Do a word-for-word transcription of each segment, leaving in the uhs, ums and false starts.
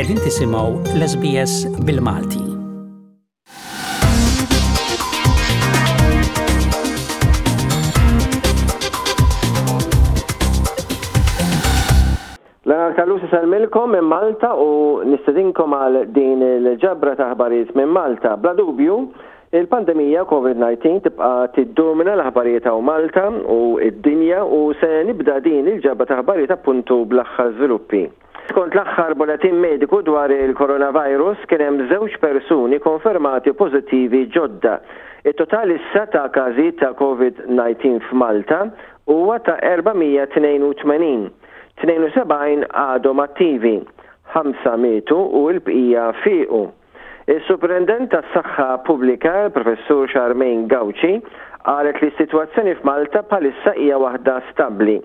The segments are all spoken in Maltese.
Qegħdin tisimgħu l-S B S bil-Malti. Leonard Callus isellmilkom minn Malta u nistedinkom għal din il-ġabra ta' aħbarijiet minn Malta. Bla dubju, il-pandemija COVID nineteen tibqa' tiddomina l-aħbarijiet hawn Malta u id-dinja u se nibda din il-ġabra ta' aħbarijiet appuntu bl-aħħar żviluppi. Skont l-aħħar bulletin mediku dwar il-coronavirus, kien hemm żewġ persuni konfermati pożittivi ġodda. Il-total issa ta' każijiet ta' COVID nineteen f'Malta huwa ta' erba' mija tnejn u tmenin. tnejn u sebgħin għadhom attivi, ħamsa mietu u l-bqija fiqu. Il-Superintendent tas-Saħħa Pubblika, il-Professur Charmaine Gauci, qalet li s-sitwazzjoni f'Malta bħalissa hija waħda stabbli.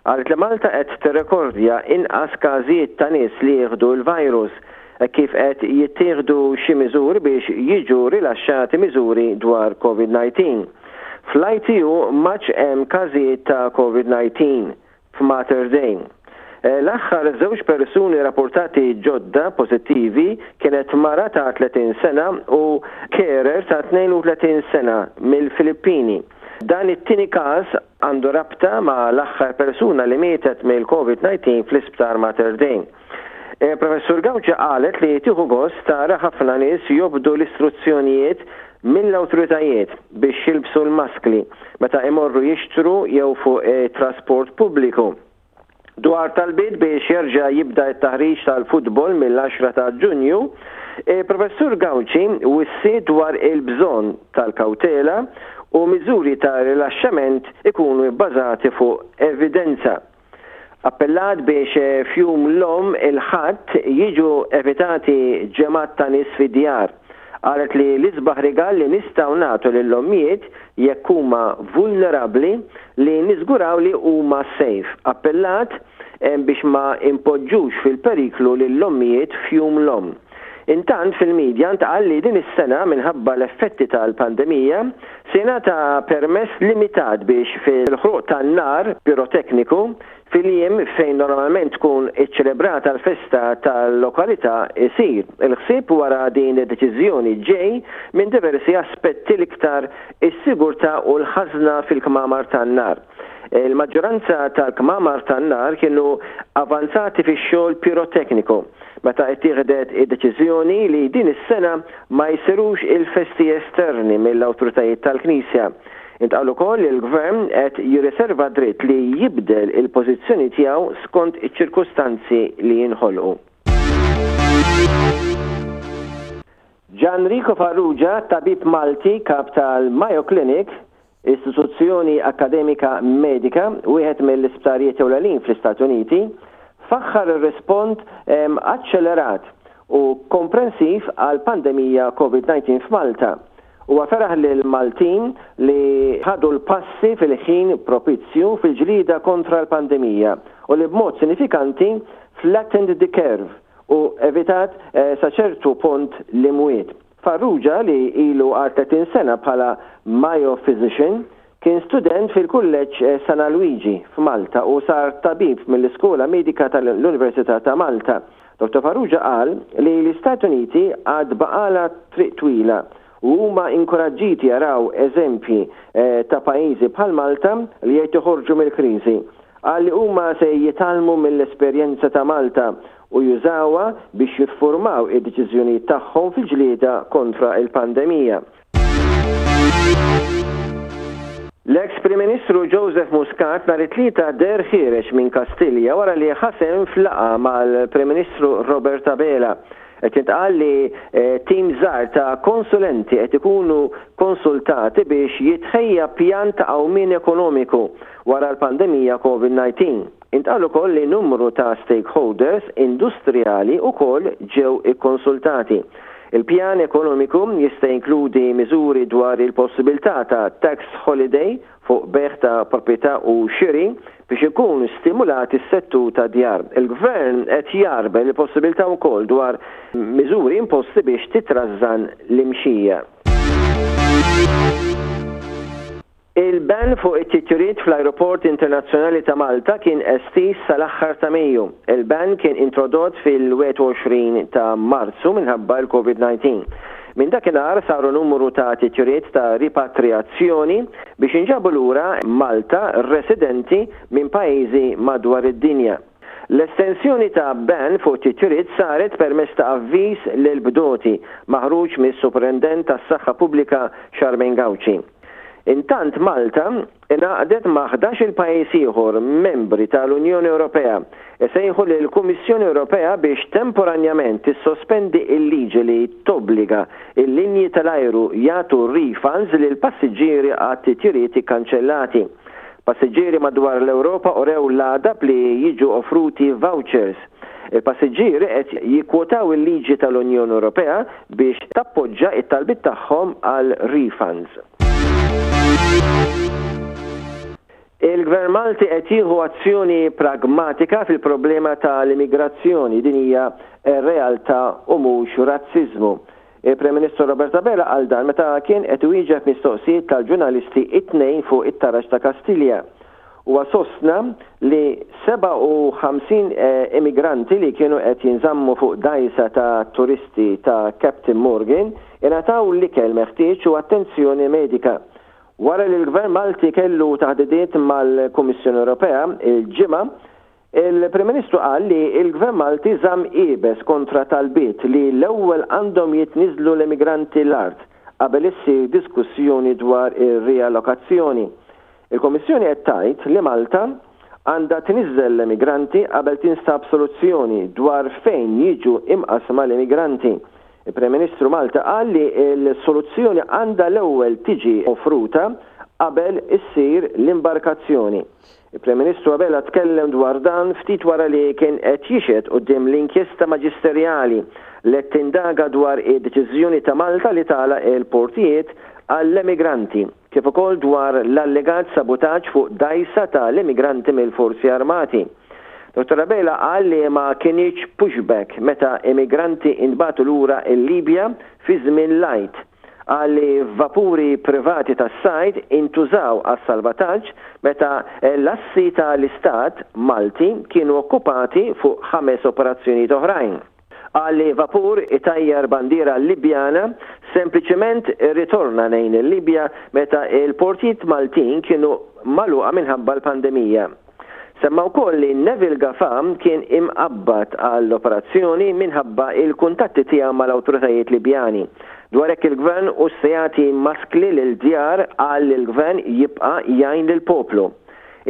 Qalet li Malta qed tirrekordja inqas każijiet ta' nies li jieħdu l-virus kif qed jittieħdu xi miżuri biex jiġu rilaxxati miżuri dwar COVID nineteen. Fl-I T U m'għadx hemm każijiet ta' COVID nineteen f'Mater Dei. Eh, L-aħħar żewġ persuni rapportati ġodda pożittivi kienet mara ta' tletin sena u carer ta' tnejn u tletin sena mill-Filippini. Dan it-tieni każ għandu rabta ma' l-aħħar persuna li mietet mill-COVID nineteen fl-isptar Mater Dei. Eh, Professur Gauci qalet li tieħu gost tara ħafna nies jobdu l-istruzzjonijiet mill-awtoritajiet biex jilbsu l-maskli meta imorru jixtru jew fuq eh, trasport pubbliku. Dwar talbiet biex jerġa' jibda t-taħriġ tal-futbol mill-għaxra ta' Ġunju, eh, Professur Gauci wissi dwar il-bżonn tal-kawtela u miżuri ta' rilaxxament ikunu bbażati fuq evidenza. Appellat biex eh, f'Jum l-Omm il-Ħadd jiġu evitati ġemgħat ta' nies fid-djar. Qalet li l-isbaħ rigal li nistgħu nagħtu lill-ommijiet jekk huma vulnerabbli li niżguraw li huma safe. Appellat eh, biex ma impoġġux fil-periklu lill-ommijiet f'Jum l-Omm. Intant, fil-medja ntqal li din is-sena, minħabba l-effetti tal-pandemija, se jingħata permess limitat biex fil-ħruq tan-nar pirotekniku fil-jiem fejn normalment tkun iċċelebrata l-festa tal-lokalità isir. Il-ħsieb wara din id-deċiżjoni ġej minn diversi aspetti, l-iktar is-sigurtà u l-ħażna fil-kmamar tan-nar. Il-maġġoranza tal-kmamar tan-nar kienu avanzati fix-xogħol pirotekniku meta ittieħdet id-deċiżjoni li din is-sena ma jsirux il-festi esterni mill-awtoritajiet tal-Knisja. Intqal ukoll li l-Gvern qed jirriserva dritt li jibdel il-pożizzjoni tiegħu skont iċ-ċirkustanzi li jinħolqu. Gianrico Farrugia, tabib Malti, kap tal-Mayo Clinic, istituzzjoni akademika medika, wieħed mill-isptarijiet ewlenin fl-Istati Uniti, faħħar ir-rispons aċċelerat u komprensiv għal pandemija COVID nineteen f'Malta. U feraħ lil Maltin li ħadu l-passi fil-ħin propizju fil-ġlida kontra l-pandemija u li b'mod sinifikanti flattened the curve u evitat eh, sa ċertu punt l-imwiet. Farrugia, li ilu għal tletin sena bħala Mayo Physician, kien student fil-kulleġġ eh, San Luigi f'Malta u sar tabib mill-Iskola Medika tal-Università ta' Malta. Doktor Farrugia qal li l-Istati Uniti għad baqgħalha triq twila u huma inkoraġġiti jaraw eżempji eh, ta' pajjiżi bħal Malta li qed joħorġu mill-kriżi. Qal li huma se jitgħallmu mill-esperjenza ta' Malta u jużawha biex jiffurmaw id-deċiżjonijiet tagħhom fil-ġlieda kontra il-pandemija. L-ex Prim Ministru Joseph Muscat nhar it-Tlieta deher ħiereġ minn Kastilja wara li ħa sehem f'laqgħa mal-Prim Ministru Robert Abela. Qed jintqal li eh, tim żgħar ta' konsulenti qed ikunu konsultati biex jitħejja pjan ta' qawmien ekonomiku wara l-pandemija COVID nineteen. Intqal ukoll li numru ta' stakeholders industrijali ukoll ġew ikkonsultati. Il-pjan ekonomiku jista' jinkludi miżuri dwar il-possibilità ta' tax holiday fuq bejgħ ta' proprjetà u xiri biex ikun stimulat is-settur ta' djar. Il-gvern qed jgħarbel il-possibilità wkoll dwar miżuri imposti biex titrażżan l-imxija. Il-ban fuq it-titjiriet fl-Ajruport Internazzjonali ta' Malta kien estiż sal-aħħar ta' Mejju. Il-ban kien introdott fil-wieħed u għoxrin ta' Marzu minħabba l-Covid disa. Minn dakinhar saru numru ta' titjiriet ta' ripatriazzjoni biex inġabu lura Malta residenti minn pajjiżi madwar id-dinja. L-estensjoni ta' ban fuq titjiriet saret permezz ta' avviż lil bdoti maħruġ mis-Superintendent tas-Saħħa Pubblika Charmaine Gauci. Intant Malta ingħaqdet ma' ħdax-il pajjiż ieħor membri tal-Unjoni Ewropea isejħu lill-Kummissjoni Ewropea biex temporanjament tissospendi il-liġi li tobbliga il-linji tal-ajru jagħtu refunds lil passiġġieri għat titjiriet ikkanċellati. Passiġġieri madwar l-Ewropa urew l-għadab li jiġu offruti vouchers. Il-passiġġieri qed jikkwotaw il-liġi tal-Unjoni Ewropea biex tappoġġa it-talbit tagħhom għal refunds. Il-Gvern Malti qed jieħu azzjoni pragmatika fil-problema tal-immigrazzjoni. Din hija realtà u mhux razziżmu. Il-Prim Ministru Robert Abela qal dan meta kien qed iwieġeb mistoqsijiet tal-ġurnalisti it-Tnejn fuq it-taraġ ta' Kastilja. Huwa sostna li sebgħa u ħamsin eh, immigranti li kienu qed jinżammu fuq dajsa ta' turisti ta' Captain Morgan ingħataw l-ikel meħtieġ u attenzjoni medika. Wara li l-Gvern Malti kellu taħdidiet mal-Kummissjoni Ewropea il-Ġimgħa, il-Prim Ministru qal li il-Gvern Malti żamm iebes kontra talbiet li l-ewwel għandhom jitniżlu l-immigranti l-art qabel issir diskussjoni dwar ir-riallokazzjoni. Il-Kommissjoni qed tgħid li Malta għandha tniżżel l-immigranti qabel tinstab soluzzjoni dwar fejn jiġu imqasma l-immigranti. Il-Prim Ministru Malti qal li l-soluzzjoni għandha l-ewwel tiġi offruta qabel issir l-imbarkazzjoni. Il-Prim Ministru Abela tkellem dwar dan ftit wara li kien qed jixhed quddiem l-inkjesta maġisterjali li tindaga dwar id-deċiżjoni ta' Malta li tagħlaq il-portijiet għall-emigranti, kif ukoll dwar l-allegat sabotaġġ fuq dajsa tal-immigranti mill-Forzi Armati. Dottor Abela qal li ma kinitx pushback meta immigranti intbagħtu lura il-Libja fi żmien l-Għid. Qal li vapuri privati tas-sajd intużaw għas-salvataġġ meta l-assi tal-Istat Malti kienu okkupati fuq ħames operazzjonijiet oħrajn. Qal li vapur itajjar bandiera Libjana sempliċement ritorna lejn il-Libja meta il-portijiet Maltin kienu magħluqa minħabba l-pandemija. Semma wkoll li Neville Gafa kien imqabbad għall-operazzjoni minħabba il-kuntatti tiegħu mal-awtoritajiet Libjani. Dwar hekk il-gvern u se jagħti maskli lil djar, qal li l-gvern jibqa' jgħin lill-poplu.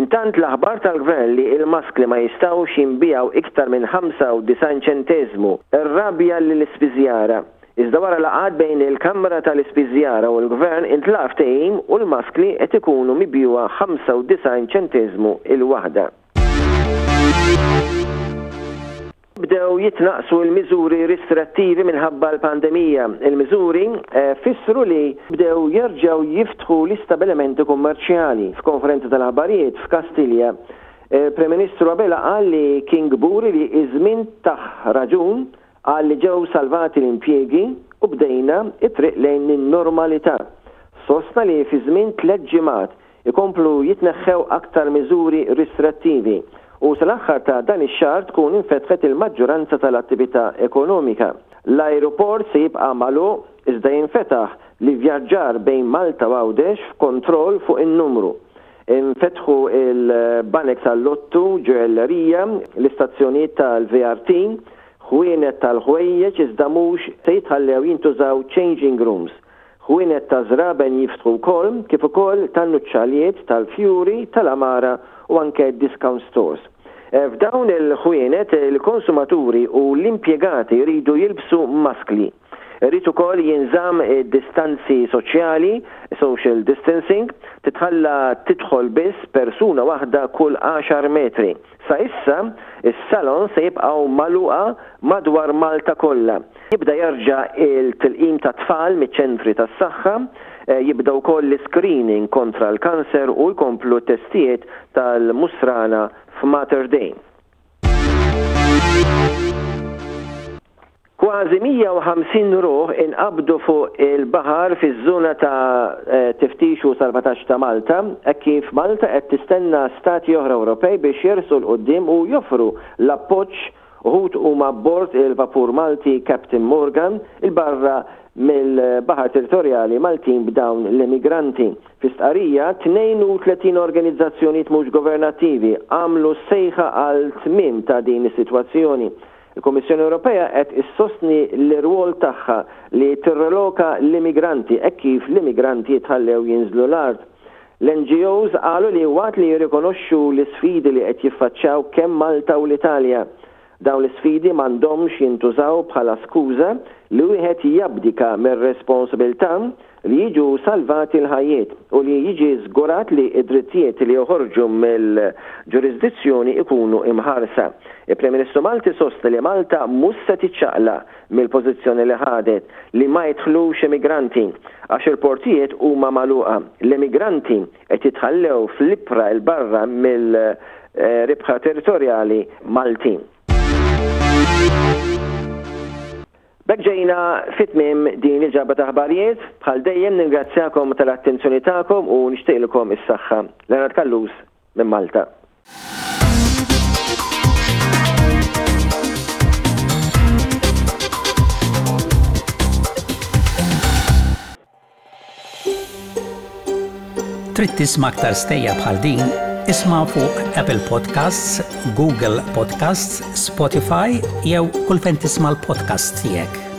Intant l-aħbar tal-gvern li il-maskli ma jistgħux jinbiegħu iktar minn ħamsa u disgħin ċentesmu irrabja lill-ispiżjara. Iżda wara laqgħat bejn il-Kamra tal-Ispiżjara u l-Gvern intlaħaq ftehim u l-maskli qed ikunu mibjugħa ħamsa u disgħin ċentesmu il-waħda. Bdew jitnaqsu l-miżuri restrittivi minħabba l-pandemija. Il-miżuri eh, fissru li bdew jerġgħu jiftħu l-istabilimenti kummerċjali. F'konferenza tal-aħbarijiet f'Kastilja, eh, Prim Ministru Abela qal li kien kburi li iż-żmien tah raġun. Qal li ġew salvati l-impjiegi u bdejna it-triq lejn in-normalità. Sostna li fi żmien tliet ġimgħat ikomplu jitneħħew aktar miżuri restrittivi u sal-aħħar ta' dan ix-xahar tkun infetħet il-maġġoranza tal-attività ekonomika. L-ajruport se jibqa' magħluq iżda jinfetaħ l-ivvjaġġar bejn Malta u Għawdex f'kontroll fuq in-numru. Infetħu il-banek tal-lottu, ġojellerija, l-istazzjonijiet tal-V R T, ħwienet tal-ħwejjeġ, iżda mhux se jitħallew jintużaw changing rooms. Ħwienet ta' żraben jiftħu wkoll, kif ukoll tan-nuċċalijiet, tal-fjuri, tal-għamara u anke discount stores. E, f'dawn il-ħwienet il-konsumaturi u l-impjegati jridu jilbsu maskli. Irid ukoll jinżamm distanzi soċjali, social distancing, titħalla tidħol biss persuna waħda kull għaxar metri. Sa issa, is-salon se jibqgħu magħluqa madwar Malta kollha. Jibda jerġa' il-tilqim ta' tfal miċ-ċentri tas-saħħa, eh, jibda wkoll l-screening kontra l-kanser u jkomplu testijiet tal-musrana f'Mater Dei. Kważi mija u ħamsin ruħ inqabdu fuq il-baħar fiż-żona ta' eh, tiftix u salvataġġ ta' Malta, hekk kif Malta qed tistenna stati oħra Ewropej biex jersqu 'l quddiem u joffru l-appoġġ. Uħud huma bord il-vapur Malti Captain Morgan 'il barra mill-baħar territorjali Maltin b'dawn l-immigranti. Fi stqarrija, tnejn u tletin organizzazzjonijiet mhux governattivi għamlu sejħa għal tmiem ta' din is-sitwazzjoni. Il-Kommissjoni Ewropea qed issostni l-irwol tagħha li tirreloka l-immigranti hekk kif l-immigranti jitħallew jinżlu l-art. L-N G Os qalu li waqt li jirrikonoxxu l-isfidi li qed jiffaċċjaw kemm Malta u l-Italja, dawn l-isfidi m'għandhomx jintużaw bħala skuża li wieħed jabdika mir-responsabilità li jiġu salvati l-ħajjiet u li jiġi żgurat li id-drittijiet li joħorġu mill-ġurisdizzjoni ikunu imħarsa. Il-Prim Ministru Malti sostna li Malta mhux se tiċċaqlaq mill-pożizzjoni li ħadet li ma jidħlux immigranti għax il-portijiet huma magħluqa. L-immigranti qed jitħallew fl-ibħra 'il barra mill-ibħra territorjali Maltin. B'hekk ġejna fi tmiem din il-ġabra ta' aħbarijiet. Bħal dejjem ningrazzjakom tal-attenzjoni tagħkom u nixtieqilkom is-saħħa. Leonard Callus minn Malta. Trid tisma' aktar stejjer bħal din? Isma' fuq Apple Podcasts, Google Podcasts, Spotify jew kull fejn tisma' l-podcast tiegħek.